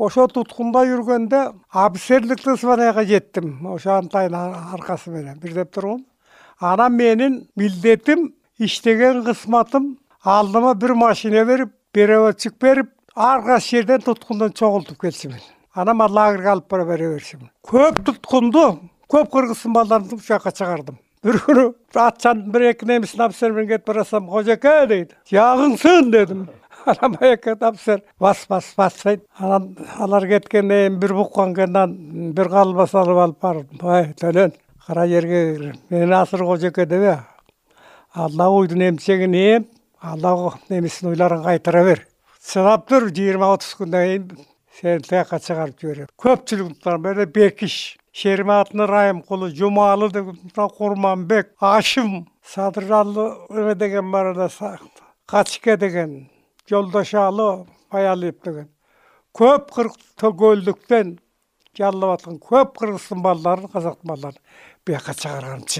Ошо туткунда жүргөндө офицерликтик званияга жеттим. Ошо Антайдын аркасы менен бир деп тургум. Анан менин милдетим, иштеген кызматым алдыма бир машина берип, переводчик берип, ар кайсы жерден туткундон чогултуп келишимин. Анан мен лагерге алып бара беришимин. Көп туткунду, көп кыргыздын балдарын ушул жака чыгардым. Бир күнү атчан бир эки немистин офицер менен кетип барасам, "Кожоке" дейт. "Жагыңсын" дедим. Анан баягы офицер бас дейт. Анан алар кеткенден кийин бир буккан кендан бир калбас алып бардым. "Ай, төлөн, кара жерге кир. Мен Асыр Кожоке дебе. Алла уйдун эмчегин эм, Алла немисин уйларын кайтара бер. Чыдап тур, 20-30 күндөн кийин сени тияка чыгарып жиберем." Көпчүлүк менен Бекиш, Шериматны Райымкулу, Жумалы деген, Курманбек, Ашым, Садыржалы деген бар да, Качке деген, Жолдошалы, Баялиев деген. Көп Төгөлдүктөн жаллап аткан көп кыргыздын балдарын, казактын балдарын бияка чыгарганчы.